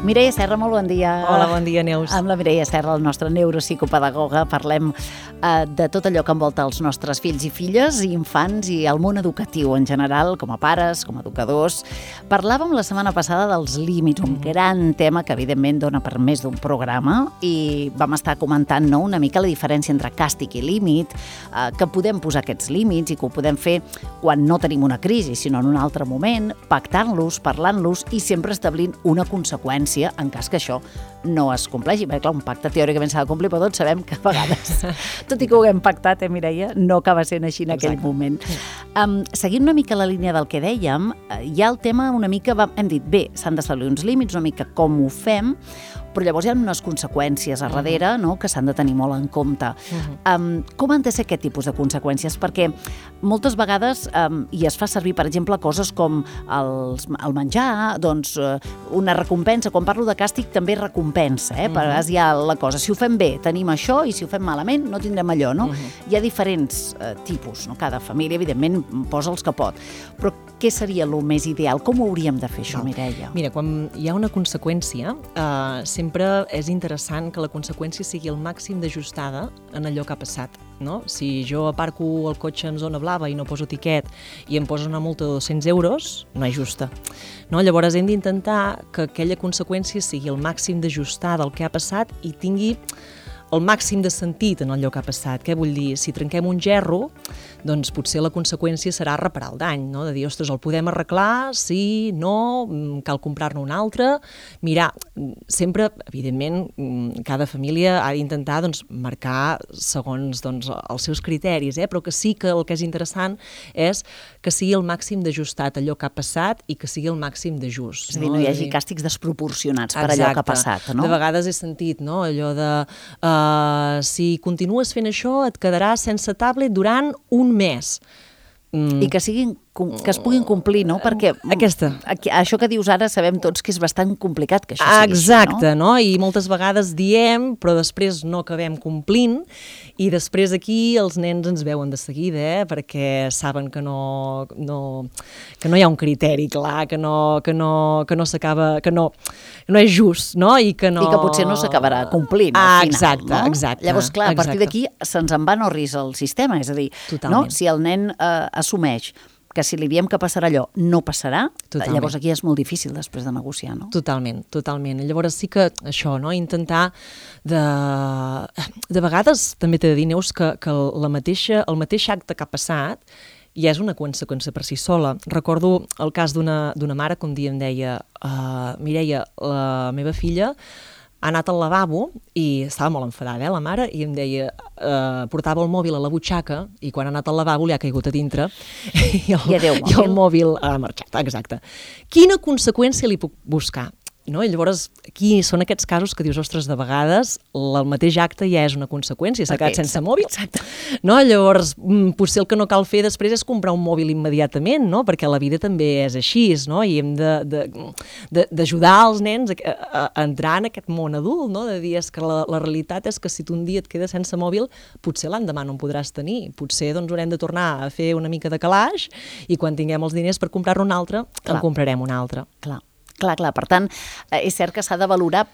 Mireia Serra, molt bon dia. Hola, bon dia, Neus. Amb la Mireia Serra, la nostra neuropsicopedagoga, parlem de tot allò que envolta els nostres fills i filles, i infants i el món educatiu en general, com a pares, com a educadors. Parlàvem la setmana passada dels límits, un gran tema que evidentment dona per més d'un programa, i vam estar comentant una mica la diferència entre càstig i límit, que podem posar aquests límits i que ho podem fer quan no tenim una crisi, sinó en un altre moment, pactant-los, parlant-los i sempre establint una conseqüència en cas que això no es compleixi. Perquè, clar, un pacte teòricament s'ha de complir, però tots sabem que a vegades, tot i que ho haguem pactat, Mireia, no acaba sent així en aquell moment. Seguint una mica la línia del que dèiem, hi ha el tema una mica, hem dit, bé, s'han d'establir uns límits, una mica com ho fem, però llavors hi ha unes conseqüències a darrere, que s'han de tenir molt en compte. Com han de ser aquest tipus de conseqüències? Perquè moltes vegades, i es fa servir, per exemple, coses com el menjar, doncs una recompensa. Quan parlo de càstig també recompensa, per vegades hi ha la cosa. Si ho fem bé, tenim això, i si ho fem malament, no tindrem allò, no? Hi ha diferents tipus, no? Cada família, evidentment, posa els que pot. Però què seria el més ideal? Com ho hauríem de fer, això, Mireia? Mira, quan hi ha una conseqüència, sempre és interessant que la conseqüència sigui el màxim d'ajustada en allò que ha passat. No? Si jo aparco el cotxe en zona blava i no poso tiquet i em poso una multa de 200 euros, no és justa. No? Llavors hem d'intentar que aquella conseqüència sigui el màxim d'ajustada al que ha passat i tingui el màxim de sentit en allò que ha passat. Què vull dir? Si trenquem un gerro, doncs potser la conseqüència serà reparar el dany, no? De dir, ostres, el podem arreglar? Sí, no, cal comprar-ne un altre. Mirar, sempre, evidentment, cada família ha d'intentar marcar segons els seus criteris, però que sí que el que és interessant és que sigui el màxim d'ajustat allò que ha passat i que sigui el màxim de just. És a dir, no hi hagi càstigs desproporcionats per allò que ha passat, no? De vegades he sentit, allò de si continues fent això et quedaràs sense tablet durant un mes. I que es puguin complir, no? Perquè això que dius ara sabem tots que és bastant complicat que això sigui així, no? Exacte, no? I moltes vegades diem, però després no acabem complint, i després aquí els nens ens veuen de seguida, perquè saben que no hi ha un criteri clar, que no s'acaba, que no és just, no? I que potser no s'acabarà complint al final, no? Exacte. Llavors, clar, a partir d'aquí se'ns en va orris el sistema, és a dir, si el nen assumeix que si li diem que passarà allò, no passarà, llavors aquí és molt difícil després de negociar, no? Totalment. Llavors sí que això, intentar de vegades, també t'he de dir, Neus, que el mateix acte que ha passat ja és una conseqüència per si sola. Recordo el cas d'una mare que un dia em deia Mireia, la meva filla ha anat al lavabo i estava molt enfadada, la mare, i em deia, portava el mòbil a la butxaca i quan ha anat al lavabo li ha caigut a dintre i el mòbil ha marxat, exacte. Quina conseqüència li puc buscar? No? I llavors aquí són aquests casos que dius, ostres, de vegades el mateix acte ja és una conseqüència, s'ha quedat sense mòbil. No? Llavors potser el que no cal fer després és comprar un mòbil immediatament, no? Perquè la vida també és així, no? I hem d'ajudar els nens a entrar en aquest món adult, no? De dir, és que la realitat és que si tu un dia et quedes sense mòbil, potser l'endemà no en podràs tenir, potser haurem de tornar a fer una mica de calaix i quan tinguem els diners per comprar-ne un altre, en comprarem un altre. Clar. Per tant, és cert que s'ha de valorar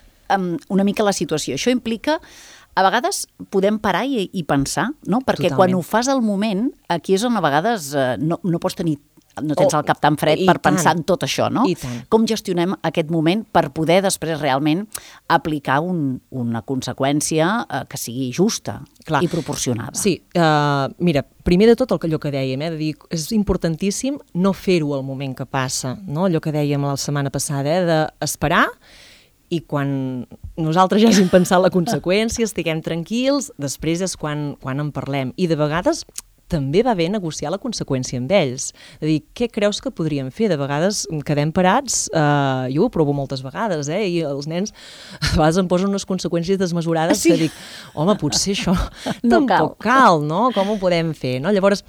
una mica la situació. Això implica, a vegades podem parar i pensar, no? Perquè quan ho fas al moment, aquí és on a vegades no pots tenir, no tens el cap tan fred per pensar en tot això, no? Com gestionem aquest moment per poder després realment aplicar una conseqüència que sigui justa i proporcionada? Sí, mira, primer de tot allò que dèiem, de dir, és importantíssim no fer-ho al moment que passa, no? Allò que dèiem la setmana passada, d'esperar i quan nosaltres ja hàgim pensat la conseqüència, estiguem tranquils, després és quan en parlem. I de vegades també va bé negociar la conseqüència amb ells. És a dir, què creus que podríem fer? De vegades quedem parats, jo ho provo moltes vegades, i els nens a vegades em posen unes conseqüències desmesurades que dic, home, potser això tampoc cal, no? Com ho podem fer? Llavors,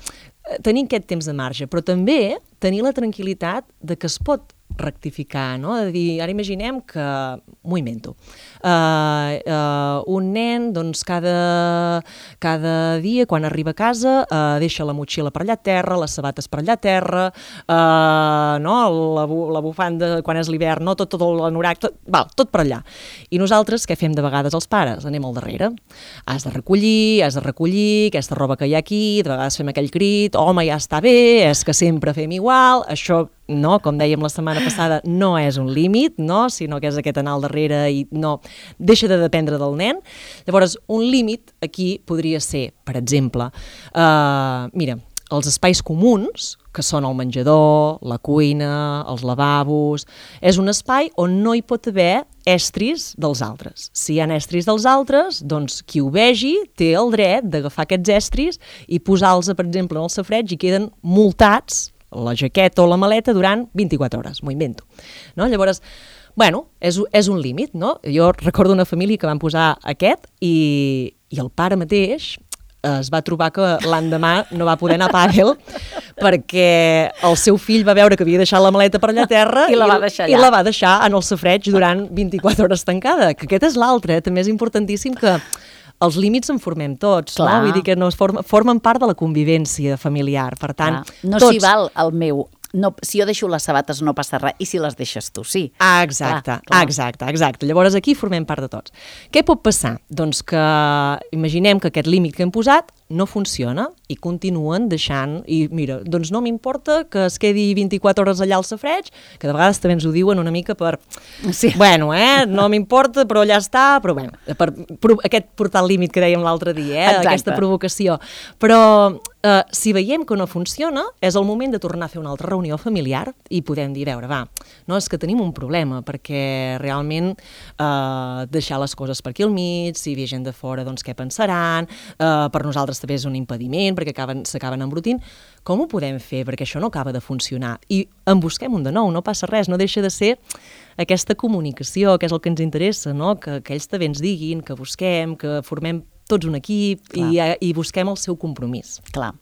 tenir aquest temps de marge, però també tenir la tranquil·litat de que es pot rectificar, no? De dir, ara imaginem que, m'ho invento, un nen, doncs, cada dia, quan arriba a casa, deixa la motxilla per allà a terra, les sabates per allà a terra, no? La bufanda, quan és l'hivern, no? Tot l'anorac, tot per allà. I nosaltres, què fem de vegades els pares? Anem al darrere. Has de recollir, aquesta roba que hi ha aquí, de vegades fem aquell crit, home, ja està bé, és que sempre fem igual, això, no, com dèiem la setmana passada, no és un límit, no, sinó que és aquest anar al darrere i no, deixa de dependre del nen. Llavors, un límit aquí podria ser, per exemple, mira, els espais comuns, que són el menjador, la cuina, els lavabos, és un espai on no hi pot haver estris dels altres. Si hi ha estris dels altres, doncs qui ho vegi té el dret d'agafar aquests estris i posar-los, per exemple, en el safareig i queden multats la jaqueta o la maleta durant 24 hores, m'ho invento. No? Llavors, bueno, és un límit, no? Jo recordo una família que van posar aquest i el pare mateix es va trobar que l'endemà no va poder anar a pàdel perquè el seu fill va veure que havia deixat la maleta per allà a terra i la va deixar en el safareig durant 24 hores tancada. Que aquest és l'altre, també és importantíssim que els límits en formem tots, no? Vull dir que no formen part de la convivència familiar, per tant... No s'hi val el meu... No, si jo deixo les sabates no passa res, i si les deixes tu, sí. Exacte. Llavors aquí formem part de tots. Què pot passar? Doncs que imaginem que aquest límit que hem posat no funciona i continuen deixant, i mira, doncs no m'importa que es quedi 24 hores allà al safareig, que de vegades també ens ho diuen una mica per... Sí. Bueno, no m'importa, però allà està, però bueno, per aquest portar el límit que dèiem l'altre dia, aquesta provocació. Però si veiem que no funciona, és el moment de tornar a fer una altra reunió familiar i podem dir, a veure, no, és que tenim un problema, perquè realment deixar les coses per aquí al mig, si hi ha gent de fora, doncs què pensaran, per nosaltres també és un impediment, perquè s'acaben embrutint. Com ho podem fer? Perquè això no acaba de funcionar. I en busquem un de nou, no passa res, no deixa de ser aquesta comunicació, que és el que ens interessa, no? Que ells també ens diguin, que busquem, que formem tots un equip i busquem el seu compromís. Clar,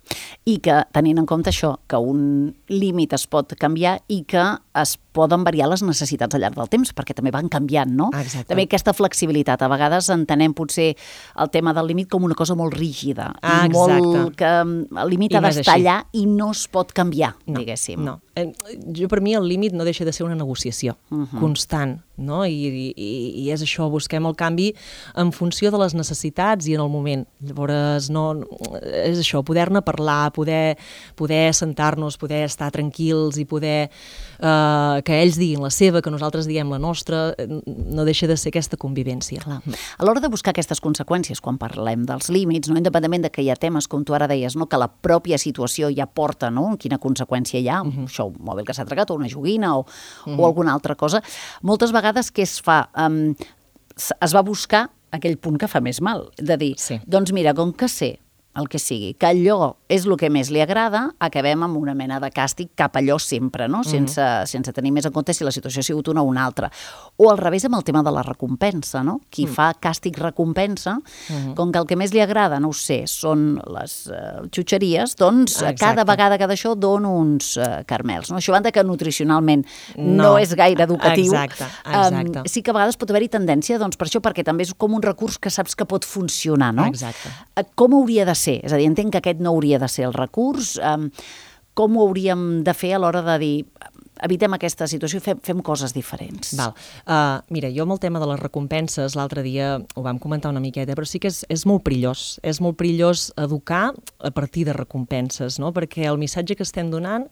i que tenint en compte això, que un límit es pot canviar i que es poden variar les necessitats al llarg del temps, perquè també van canviant, no? Exacte. També aquesta flexibilitat. A vegades entenem potser el tema del límit com una cosa molt rígida, molt que el límit ha d'estar allà i no es pot canviar, diguéssim. No. Per mi el límit no deixa de ser una negociació constant, no? I és això, busquem el canvi en funció de les necessitats i en el moment. Llavors, és això, poder-ne parlar, poder sentar-nos, poder estar tranquils i poder que ells diguin la seva, que nosaltres diguem la nostra, no deixa de ser aquesta convivència. Clar. A l'hora de buscar aquestes conseqüències, quan parlem dels límits, no, independentment de que hi ha temes, com tu ara deies, no, que la pròpia situació ja porta, no, quina conseqüència hi ha, això, un mòbil que s'ha tregat, o una joguina, o alguna altra cosa, moltes vegades què es fa? Es va buscar aquell punt que fa més mal, de dir, doncs mira, com que sé el que sigui, que allò és el que més li agrada, acabem amb una mena de càstig cap allò sempre, no? Sense tenir més en compte si la situació ha sigut una o una altra. O al revés amb el tema de la recompensa, no? Qui fa càstig-recompensa, com que el que més li agrada, no ho sé, són les xutxeries, doncs cada vegada que d'això dono uns caramels. No? Això banda que nutricionalment no és gaire educatiu. Exacte. Sí que a vegades pot haver-hi tendència, doncs per això, perquè també és com un recurs que saps que pot funcionar, no? Exacte. Com hauria de ser? És a dir, entenc que aquest no hauria de ser el recurs. Com ho hauríem de fer a l'hora de dir evitem aquesta situació i fem coses diferents? Mira, jo amb el tema de les recompenses, l'altre dia ho vam comentar una miqueta, però sí que és molt perillós. És molt perillós educar a partir de recompenses, no? Perquè el missatge que estem donant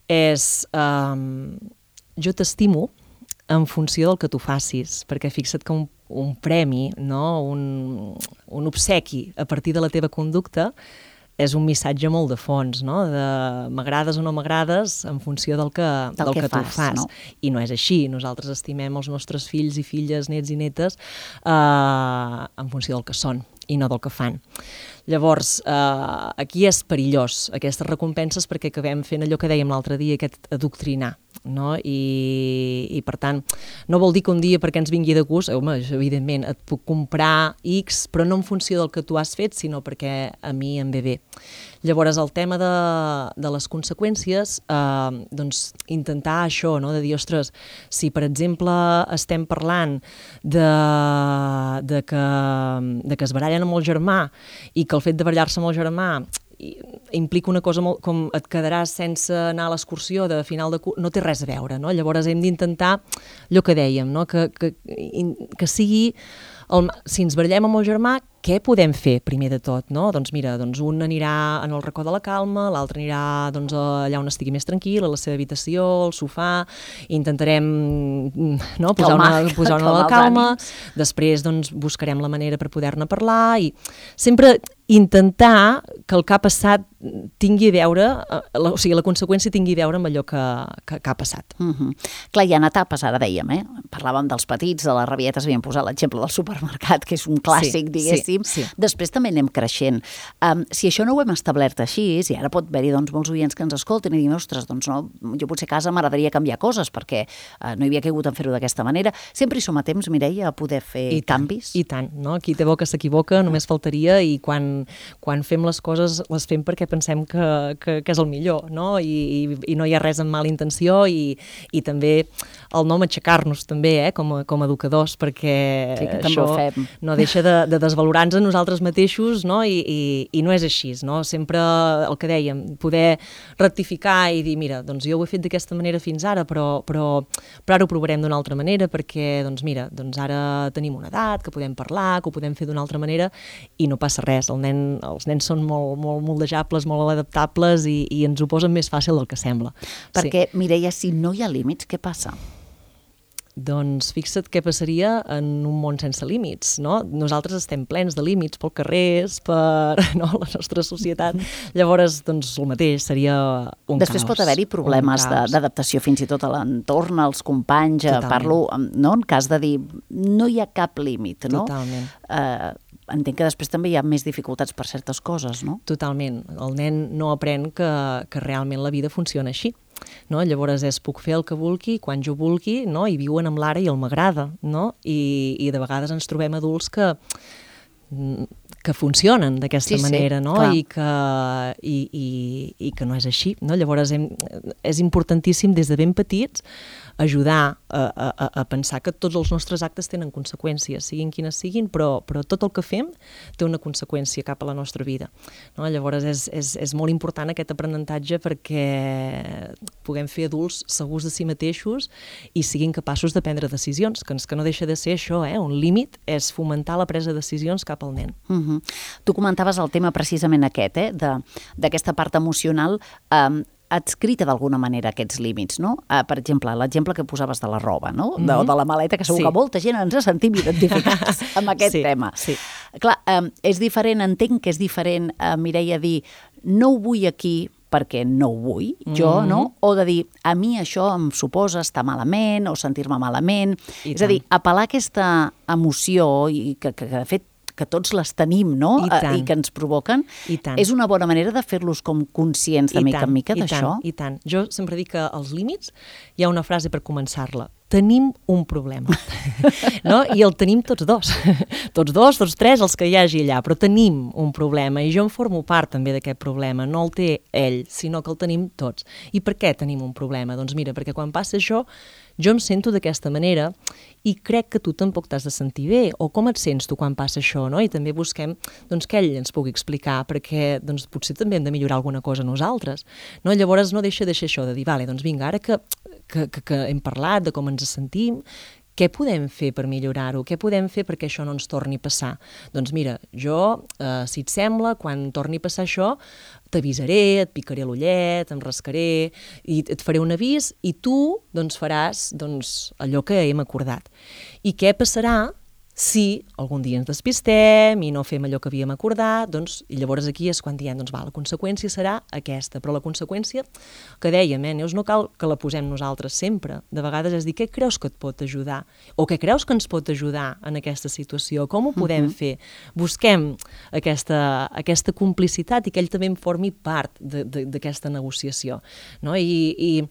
és jo t'estimo en funció del que tu facis, perquè fixa't que un premi, no? un obsequi a partir de la teva conducta és un missatge molt de fons, no? De m'agrades o no m'agrades en funció del que tu fas. No? I no és així. Nosaltres estimem els nostres fills i filles, nets i netes en funció del que són. i no del que fan. Llavors, aquí és perillós, aquestes recompenses, perquè acabem fent allò que dèiem l'altre dia, aquest adoctrinar, no? I per tant, no vol dir que un dia perquè ens vingui de gust, home, evidentment, et puc comprar X, però no en funció del que tu has fet, sinó perquè a mi em ve bé. Llavors, el tema de les conseqüències, doncs, intentar això, no? De dir, ostres, si per exemple estem parlant de que es barallen amb el germà i que el fet de barallar-se amb el germà implica una cosa molt, com et quedaràs sense anar a l'excursió de final de curs, no té res a veure, no? Llavors hem d'intentar allò que dèiem, no? Que sigui, si ens barallem amb el germà, què podem fer primer de tot, no? Doncs mira, un anirà en el racó de la calma, l'altre anirà doncs, allà on estigui més tranquil, a la seva habitació, al sofà, intentarem no, posar-ne la calma, després doncs, buscarem la manera per poder-ne parlar i sempre intentar que el que ha passat tingui a veure, o sigui, la conseqüència tingui a veure amb allò que ha passat. Clar, hi ha etapes, ara dèiem, parlàvem dels petits, de les rabietes, havíem posat l'exemple del supermercat, que és un clàssic, diguéssim. Sí. Després també anem creixent. Si això no ho hem establert així, i ara pot haver-hi doncs, molts oients que ens escolten i diuen, ostres, doncs no, jo potser a casa m'agradaria canviar coses perquè no hi havia caigut en fer-ho d'aquesta manera. Sempre hi som a temps, Mireia, a poder fer canvis? I tant, no? Qui té boca s'equivoca, només faltaria, i quan fem les coses les fem perquè pensem que és el millor, no? I no hi ha res amb mala intenció i també el no matxacar-nos també, com a educadors, perquè això no deixa de desvalorar-nos a nosaltres mateixos, no? I no és així, no? Sempre el que dèiem, poder rectificar i dir, mira, doncs jo ho he fet d'aquesta manera fins ara, però ara ho provarem d'una altra manera perquè, doncs mira, doncs ara tenim una edat, que podem parlar, que ho podem fer d'una altra manera i no passa res. Els nens són molt moldejables, molt adaptables i ens ho posen més fàcil del que sembla. Perquè, Mireia, si no hi ha límits, què passa? Doncs fixa't què passaria en un món sense límits, no? Nosaltres estem plens de límits pel carrers, per la nostra societat. Llavors, doncs, el mateix, seria un caos. Després pot haver-hi problemes d'adaptació fins i tot a l'entorn, als companys. Parlo, no? En cas de dir, no hi ha cap límit, no? Totalment. Entenc que després també hi ha més dificultats per certes coses, no? Totalment. El nen no aprèn que realment la vida funciona així. No? Llavors puc fer el que vulgui, quan jo vulgui, no? I viuen amb l'ara i el m'agrada, no? I de vegades ens trobem adults que funcionen d'aquesta manera, no? I que no és així, no? Llavors és importantíssim des de ben petits ajudar a pensar que tots els nostres actes tenen conseqüències, siguin quines siguin, però tot el que fem té una conseqüència cap a la nostra vida, no? Llavors és molt important aquest aprenentatge perquè puguem fer adults segurs de si mateixos i siguin capaços de prendre decisions, que no deixa de ser això, un límit és fomentar la presa de decisions cap al nen. Tu comentaves el tema precisament aquest, d'aquesta part emocional adscrita d'alguna manera aquests límits, no? Per exemple, l'exemple que posaves de la roba, no? De la maleta, que segur que molta gent ens sentim identificats amb aquest tema. Clar, és diferent, entenc que és diferent, Mireia, dir no ho vull aquí perquè no ho vull, jo, no? O de dir, a mi això em suposa estar malament o sentir-me malament. És a dir, apel·lar a aquesta emoció i que de fet que tots les tenim, no? I que ens provoquen, és una bona manera de fer-los com conscients de mica en mica d'això. I tant. Jo sempre dic que als límits hi ha una frase per començar-la. Tenim un problema, no? I el tenim tots dos, tots tres, els que hi hagi allà, però tenim un problema i jo en formo part també d'aquest problema, no el té ell, sinó que el tenim tots. I per què tenim un problema? Doncs mira, perquè quan passa això, jo em sento d'aquesta manera i crec que tu tampoc t'has de sentir bé, o com et sents tu quan passa això, no? I també busquem doncs, que ell ens pugui explicar, perquè doncs, potser també hem de millorar alguna cosa nosaltres, no? Llavors no deixa de ser això, de dir, vale, doncs vinga, ara que hem parlat de com ens sentim, què podem fer per millorar-ho? Què podem fer perquè això no ens torni a passar? Doncs mira, jo, si et sembla, quan torni a passar això, t'avisaré, et picaré l'ullet, em rascaré, i et faré un avís, i tu doncs, faràs allò que hem acordat. I què passarà Si algun dia ens despistem i no fem allò que havíem acordat, doncs, i llavors aquí és quan diem, doncs va, la conseqüència serà aquesta, però la conseqüència que dèiem, Neus, no cal que la posem nosaltres sempre. De vegades és dir, què creus que et pot ajudar? O què creus que ens pot ajudar en aquesta situació? Com ho podem fer? Busquem aquesta complicitat i que ell també en formi part d'aquesta negociació. No? I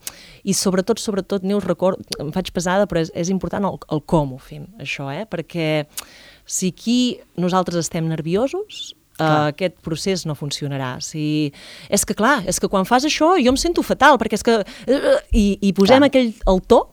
sobretot, Neus, em faig pesada, però és important el com ho fem, això, perquè si aquí nosaltres estem nerviosos, aquest procés no funcionarà. És que quan fas això jo em sento fatal, perquè és que... I posem el to,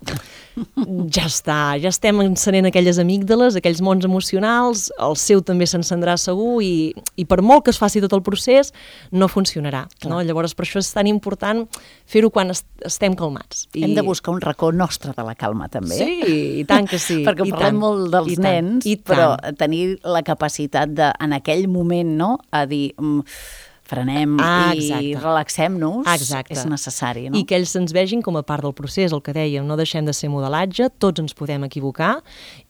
ja està, ja estem encenent aquelles amígdales, aquells mons emocionals, el seu també s'encendrà segur i per molt que es faci tot el procés, no funcionarà. No? Llavors, per això és tan important fer-ho quan estem calmats. Hem de buscar un racó nostre de la calma, també. Sí, i tant que sí. Perquè parlem molt dels nens, però tenir la capacitat de, en aquell moment, no?, a dir... frenem i relaxem-nos, és necessari, no? I que ells ens vegin com a part del procés, el que dèiem, no deixem de ser modelatge, tots ens podem equivocar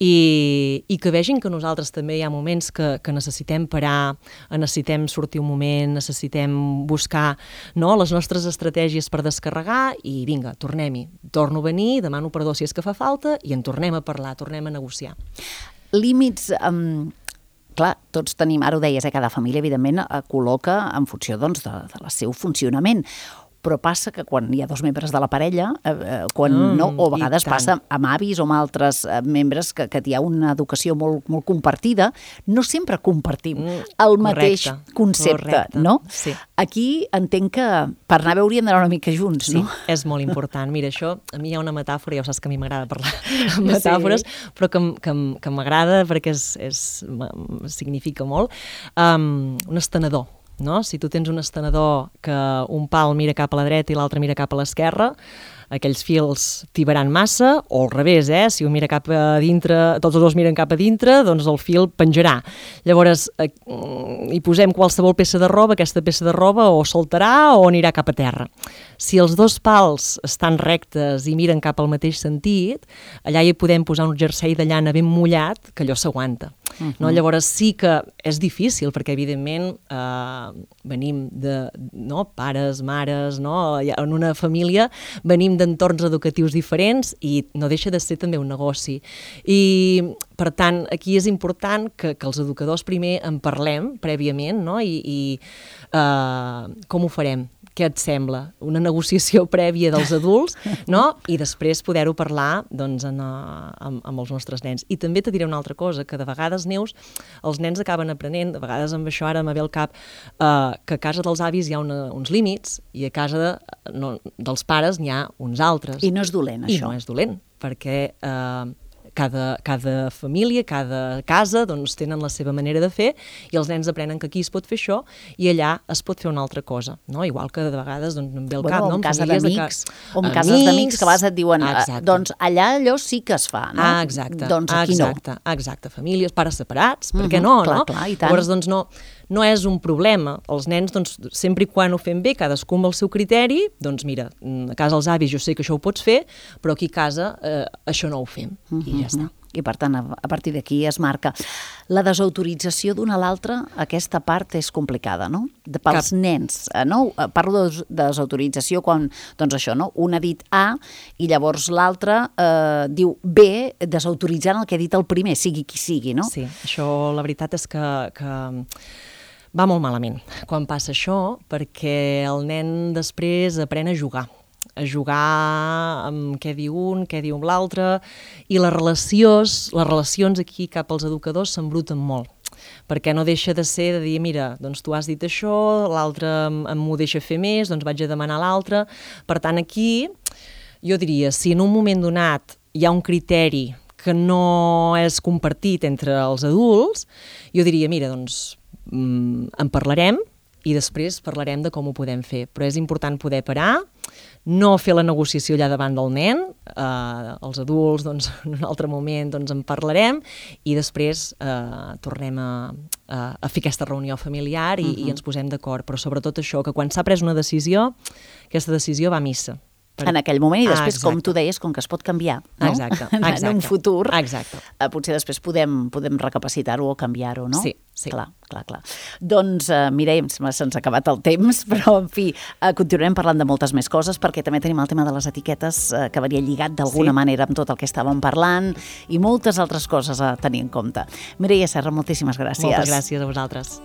i que vegin que nosaltres també hi ha moments que necessitem parar, necessitem sortir un moment, necessitem buscar les nostres estratègies per descarregar i vinga, tornem-hi. Torno a venir, demano perdó si és que fa falta i en tornem a parlar, tornem a negociar. Límits... Clar, tots tenim, ara ho deies, cada família, evidentment, col·loca en funció del seu funcionament. Però passa que quan hi ha dos membres de la parella, o a vegades passa amb avis o amb altres membres que hi ha una educació molt, molt compartida, no sempre compartim el mateix concepte, no? Sí. Aquí entenc que per anar bé hauríem d'anar una mica junts, no? Sí, és molt important. Mira, això, a mi hi ha una metàfora, ja ho saps que a mi m'agrada parlar amb metàfores, però que m'agrada perquè significa molt. Un estenedor. No? Si tu tens un estenedor que un pal mira cap a la dreta i l'altre mira cap a l'esquerra, aquells fils tibaran massa, o al revés, si un mira cap a dintre, tots els dos miren cap a dintre, doncs el fil penjarà. Llavors, hi posem qualsevol peça de roba, aquesta peça de roba o saltarà o anirà cap a terra. Si els dos pals estan rectes i miren cap al mateix sentit, allà hi podem posar un jersei de llana ben mullat, que allò s'aguanta. No? Llavors sí que és difícil, perquè evidentment venim de pares, mares, en una família venim d'entorns educatius diferents i no deixa de ser també un negoci. I, per tant, aquí és important que els educadors primer en parlem prèviament, no? I com ho farem? Què et sembla? Una negociació prèvia dels adults, no? I després poder-ho parlar amb els nostres nens. I també te diré una altra cosa, que de vegades, Neus, els nens acaben aprenent, de vegades amb això ara me ve al cap, que a casa dels avis hi ha uns límits i a casa dels pares n'hi ha uns altres. I no és dolent, això. I no és dolent, perquè... Cada família, cada casa, doncs tenen la seva manera de fer i els nens aprenen que aquí es pot fer això i allà es pot fer una altra cosa, no? Igual que de vegades em ve el cap, no? O en casa d'amics, o en cases d'amics que a vegades et diuen, doncs allà allò sí que es fa, no? Exacte. Doncs aquí no. Exacte, famílies, pares separats, per què no? Clar, i tant. Llavors, doncs no és un problema. Els nens, doncs, sempre i quan ho fem bé, cadascú amb el seu criteri, doncs mira, a casa els avis jo sé que això ho pots fer, però aquí a casa això no ho fem. I ja està. I per tant, a partir d'aquí es marca. La desautorització d'una a l'altra, aquesta part és complicada, no? Pels nens, no? Parlo de desautorització quan, doncs això, no? Un ha dit A i llavors l'altre diu B, desautoritzant el que ha dit el primer, sigui qui sigui, no? Sí, això la veritat és que va molt malament quan passa això, perquè el nen després aprèn a jugar amb què diu un, què diu l'altre, i les relacions aquí cap als educadors s'embruten molt, perquè no deixa de ser de dir, mira, doncs tu has dit això, l'altre m'ho deixa fer més, doncs vaig a demanar a l'altre. Per tant, aquí jo diria, si en un moment donat hi ha un criteri que no és compartit entre els adults, jo diria, mira, doncs en parlarem i després parlarem de com ho podem fer. Però és important poder parar, no fer la negociació allà davant del nen, els adults, doncs, en un altre moment doncs, en parlarem i després tornem a fer aquesta reunió familiar i ens posem d'acord. Però sobretot això, que quan s'ha pres una decisió, aquesta decisió va a missa. en aquell moment, i després, com tu deies, com que es pot canviar, no? Exacte. En un futur, Exacte. Potser després podem recapacitar-ho o canviar-ho, no? Sí. Clar. Doncs, Mireia, se'ns ha acabat el temps, però, en fi, continuarem parlant de moltes més coses, perquè també tenim el tema de les etiquetes, que venia lligat d'alguna manera amb tot el que estàvem parlant, i moltes altres coses a tenir en compte. Mireia Serra, moltíssimes gràcies. Moltes gràcies a vosaltres.